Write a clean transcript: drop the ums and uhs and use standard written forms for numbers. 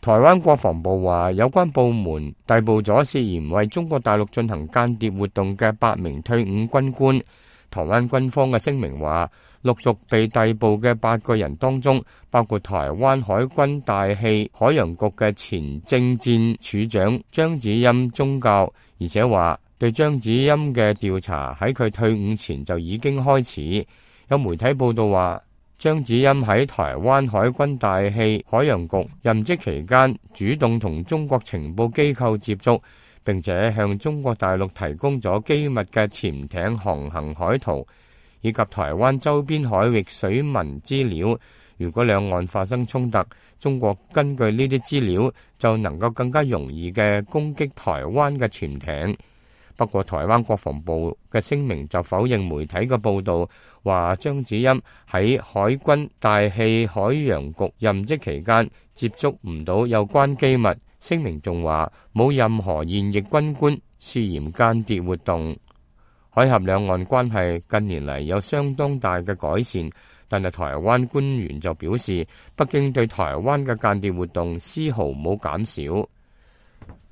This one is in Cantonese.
台灣國防部話，有關部門逮捕咗涉嫌為中國大陸進行間諜活動嘅8名退伍軍官。台灣軍方嘅聲明話，陸續被逮捕嘅8個人當中，包括台灣海軍大氣海洋局嘅前政戰處長張子欣中校，而且話對張子欣嘅調查喺佢退伍前就已經開始。有媒體報道話，張子欣喺台灣海軍大氣海洋局任職期間，主動同中國情報機構接觸，並且向中國大陸提供咗機密嘅潛艇航行海圖，以及台灣周邊海域水文資料。如果兩岸發生衝突，中國根據呢啲資料就能夠更加容易嘅攻擊台灣嘅潛艇。不過台灣國防部嘅聲明就否認媒體嘅報道，話張子欣喺海軍大氣海洋局任職期間接觸唔到有關機密。聲明仲話冇任何現役軍官涉嫌間諜活動。海峽兩岸關係近年嚟有相當大嘅改善，但係台灣官員就表示，北京對台灣嘅間諜活動絲毫冇減少。